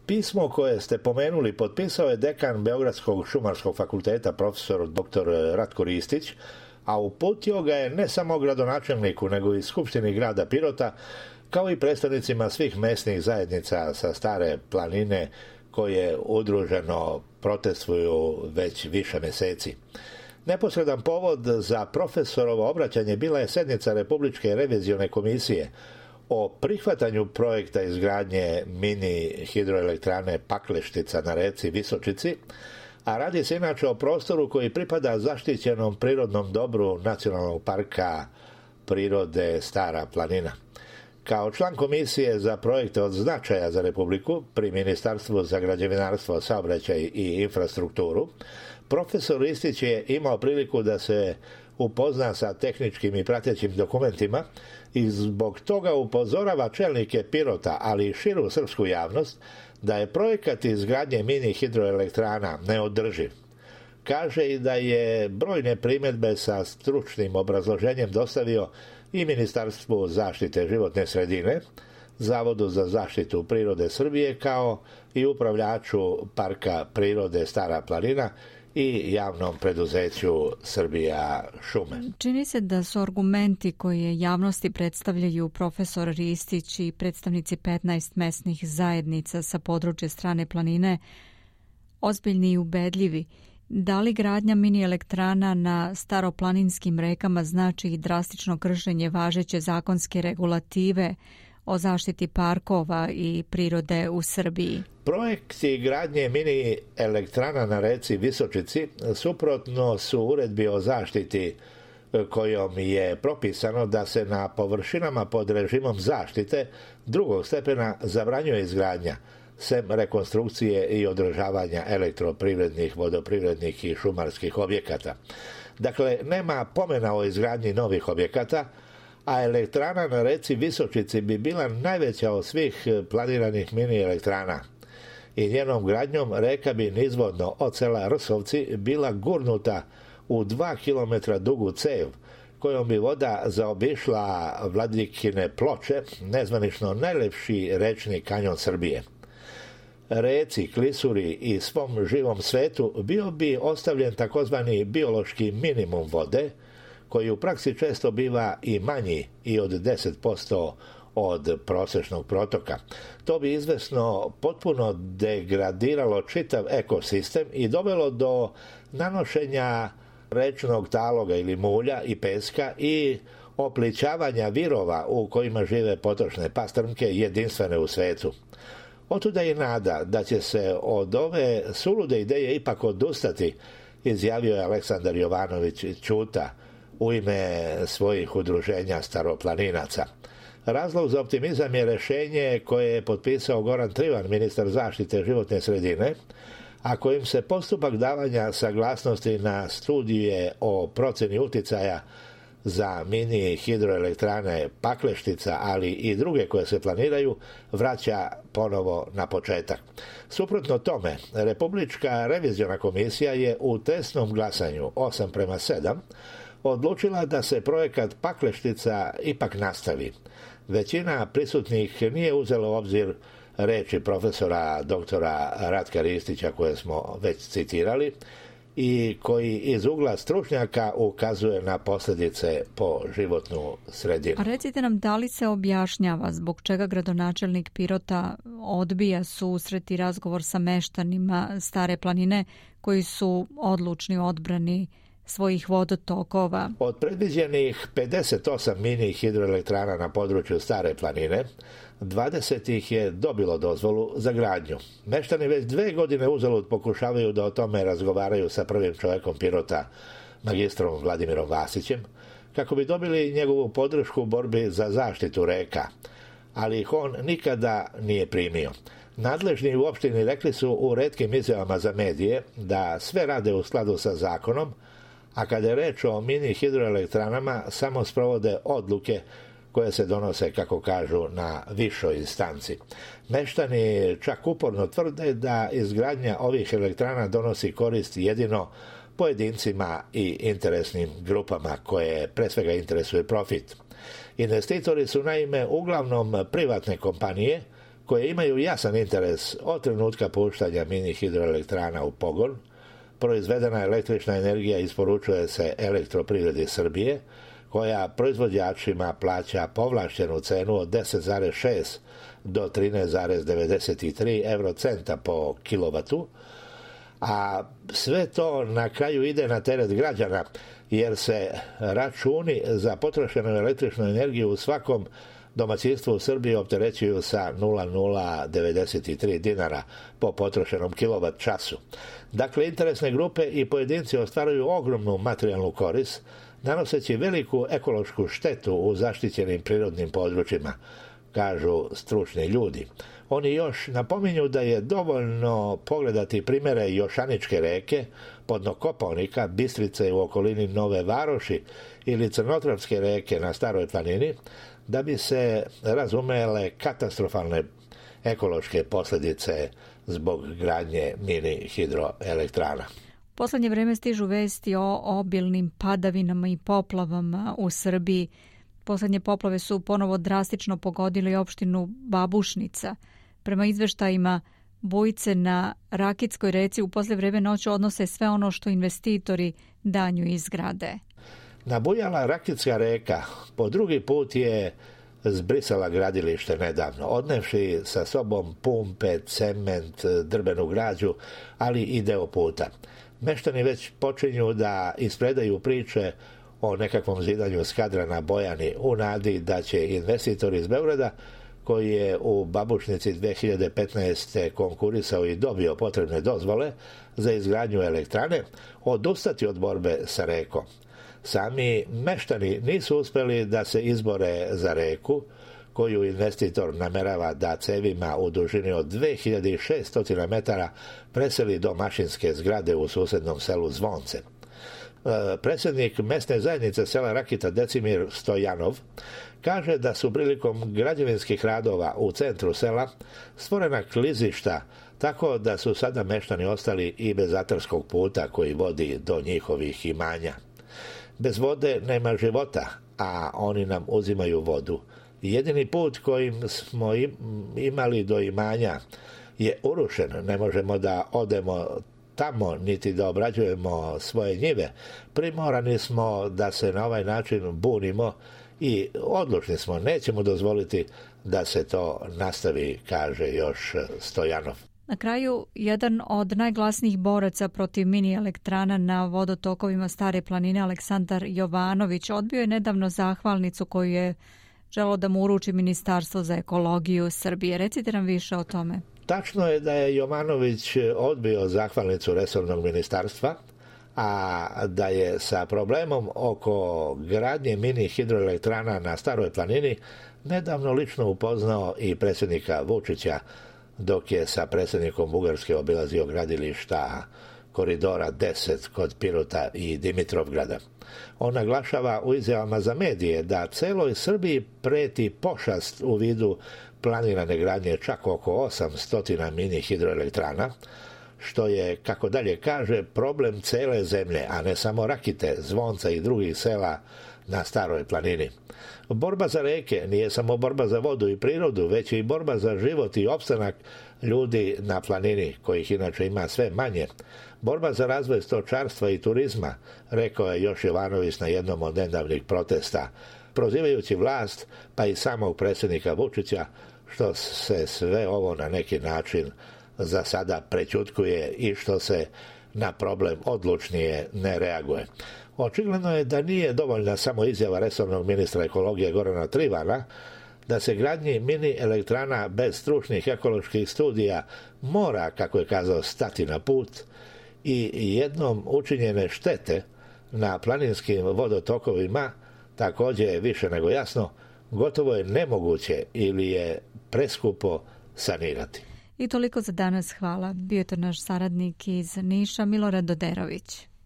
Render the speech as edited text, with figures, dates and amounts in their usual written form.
Pismo koje ste pomenuli potpisao je dekan Beogradskog šumarskog fakulteta profesor dr. Ratko Ristić, a uputio ga je ne samo gradonačelniku nego i Skupštini grada Pirota, kao i predstavnicima svih mesnih zajednica sa Stare planine koje udruženo protestuju već više meseci. Neposredan povod za profesorovo obraćanje bila je sednica Republičke revizione komisije o prihvatanju projekta izgradnje mini hidroelektrane Pakleštica na reci Visočici, a radi se inače o prostoru koji pripada zaštićenom prirodnom dobru Nacionalnog parka prirode Stara planina. Kao član komisije za projekte od značaja za Republiku pri Ministarstvu za građevinarstvo, saobraćaj i infrastrukturu, profesor Ristić je imao priliku da se upozna sa tehničkim i pratećim dokumentima i zbog toga upozorava čelnike Pirota, ali i širu srpsku javnost, da je projekat izgradnje mini hidroelektrana neodrživ. Kaže i da je brojne primjedbe sa stručnim obrazloženjem dostavio i Ministarstvu zaštite životne sredine, Zavodu za zaštitu prirode Srbije, kao i upravljaču Parka prirode Stara planina i javnom preduzeću Srbija šume. Čini se da su argumenti koje javnosti predstavljaju profesor Ristić i predstavnici 15 mesnih zajednica sa područja Strane planine ozbiljni i ubedljivi. Da li gradnja mini elektrana na staroplaninskim rekama znači i drastično kršenje važeće zakonske regulative o zaštiti parkova i prirode u Srbiji? Projekti gradnje mini elektrana na reci Visočici suprotno su uredbi o zaštiti kojom je propisano da se na površinama pod režimom zaštite drugog stepena zabranjuje izgradnja, sem rekonstrukcije i održavanja elektroprivrednih, vodoprivrednih i šumarskih objekata. Dakle, nema pomena o izgradnji novih objekata, a elektrana na reci Visočici bi bila najveća od svih planiranih mini elektrana. I njenom gradnjom reka bi nizvodno od sela Rsovci bila gurnuta u 2 km dugu cev, kojom bi voda zaobišla Vladikine ploče, nezvanično najlepši rečni kanjon Srbije. Reci, klisuri i svom živom svetu bio bi ostavljen takozvani biološki minimum vode, koji u praksi često biva i manji i od 10% od prosječnog protoka. To bi izvesno potpuno degradiralo čitav ekosistem i dovelo do nanošenja rečnog taloga ili mulja i peska i oplićavanja virova u kojima žive potočne pastrmke jedinstvene u svetu. Otuda je nada da će se od ove sulude ideje ipak odustati, izjavio je Aleksandar Jovanović Ćuta u ime svojih udruženja staroplaninaca. Razlog za optimizam je rješenje koje je potpisao Goran Trivan, ministar zaštite životne sredine, a kojim se postupak davanja saglasnosti na studije o procjeni uticaja za mini hidroelektrane Pakleštica, ali i druge koje se planiraju, vraća ponovo na početak. Suprotno tome, Republička reviziona komisija je u tesnom glasanju 8:7 odlučila da se projekat Pakleštica ipak nastavi. Većina prisutnih nije uzela u obzir reči profesora doktora Ratka Ristića koje smo već citirali i koji iz ugla stručnjaka ukazuje na posljedice po životnu sredinu. A recite nam, da li se objašnjava zbog čega gradonačelnik Pirota odbija susret i razgovor sa meštanima Stare planine koji su odlučni u odbrani svojih vodotokova? Od predviđenih 58 mini hidroelektrana na području Stare planine, 20 ih je dobilo dozvolu za gradnju. Meštani već 2 godine uzalud pokušavaju da o tome razgovaraju sa prvim čovjekom Pirota, magistrom Vladimirom Vasićem, kako bi dobili njegovu podršku u borbi za zaštitu reka, ali ih on nikada nije primio. Nadležni u opštini rekli su u retkim izjavama za medije da sve rade u skladu sa zakonom, a kada je reč o mini hidroelektranama samo sprovode odluke koje se donose, kako kažu, na višoj instanci. Meštani čak uporno tvrde da izgradnja ovih elektrana donosi korist jedino pojedincima i interesnim grupama koje pre svega interesuje profit. Investitori su naime uglavnom privatne kompanije koje imaju jasan interes od trenutka puštanja mini hidroelektrana u pogon. Proizvedena električna energija isporučuje se Elektroprivredi Srbije, koja proizvođačima plaća povlaštenu cenu od 10,6 do 13,93 eurocenta po kilovatu, a sve to na kraju ide na teret građana, jer se računi za potrošenu električnu energiju u svakom domaćinstvu u Srbiji opterećuju sa 0,093 dinara po potrošenom kilovat času. Dakle, interesne grupe i pojedinci ostvaruju ogromnu materijalnu korist, nanoseći veliku ekološku štetu u zaštićenim prirodnim područjima, kažu stručni ljudi. Oni još napominju da je dovoljno pogledati primjere Jošaničke reke, podno Kopaonika, Bistrice u okolini Nove Varoši ili Crnotravske reke na Staroj planini, da bi se razumele katastrofalne ekološke posljedice zbog gradnje mini hidroelektrana. U posljednje vrijeme stižu vesti o obilnim padavinama i poplavama u Srbiji. Posljednje poplave su ponovo drastično pogodili opštinu Babušnica. Prema izveštajima, bujice na Rakitskoj reci u poslije vrijeme noću odnose sve ono što investitori danju izgrade. Nabujala Rakitska reka po drugi put je zbrisala gradilište nedavno, odnevši sa sobom pumpe, cement, drbenu građu, ali i deo puta. Meštani već počinju da ispredaju priče o nekakvom zidanju skadra na Bojani u nadi da će investitor iz Beograda, koji je u Babušnici 2015. konkurisao i dobio potrebne dozvole za izgradnju elektrane, odustati od borbe sa rekom. Sami meštani nisu uspjeli da se izbore za reku, koju investitor namerava da cevima u dužini od 2600 metara preseli do mašinske zgrade u susjednom selu Zvonce. Predsjednik mesne zajednice sela Rakita Decimir Stojanov kaže da su prilikom građevinskih radova u centru sela stvorena klizišta, tako da su sada meštani ostali i bez atarskog puta koji vodi do njihovih imanja. Bez vode nema života, a oni nam uzimaju vodu. Jedini put kojim smo imali do imanja je urušen. Ne možemo da odemo tamo niti da obrađujemo svoje njive. Primorani smo da se na ovaj način bunimo i odlučni smo, nećemo dozvoliti da se to nastavi, kaže još Stojanov. Na kraju, jedan od najglasnijih boraca protiv mini elektrana na vodotokovima Stare planine, Aleksandar Jovanović, odbio je nedavno zahvalnicu koju je želeo da mu uruči Ministarstvo za ekologiju Srbije. Recite nam više o tome. Tačno je da je Jovanović odbio zahvalnicu resornog ministarstva, a da je sa problemom oko gradnje mini hidroelektrana na Staroj planini nedavno lično upoznao i predsjednika Vučića, dok je sa predsjednikom Bugarske obilazio gradilišta koridora 10 kod Pirota i Dimitrovgrada. On naglašava u izjavama za medije da celoj Srbiji preti pošast u vidu planirane gradnje čak oko 800 mini hidroelektrana, što je, kako dalje kaže, problem cele zemlje, a ne samo Rakite, Zvonca i drugih sela na Staroj planini. Borba za reke nije samo borba za vodu i prirodu, već i borba za život i opstanak ljudi na planini, kojih inače ima sve manje. Borba za razvoj stočarstva i turizma, rekao je još Jovanović na jednom od nedavnih protesta, prozivajući vlast pa i samog predsjednika Vučića, što se sve ovo na neki način za sada prećutkuje i što se na problem odlučnije ne reaguje. Očigledno je da nije dovoljna samo izjava resornog ministra ekologije Gorana Trivana da se gradnji mini elektrana bez stručnih ekoloških studija mora, kako je kazao, stati na put i jednom učinjene štete na planinskim vodotokovima također je više nego jasno, gotovo je nemoguće ili je preskupo sanirati. I toliko za danas, hvala. Bio je to naš saradnik iz Niša, Milorad Doderović.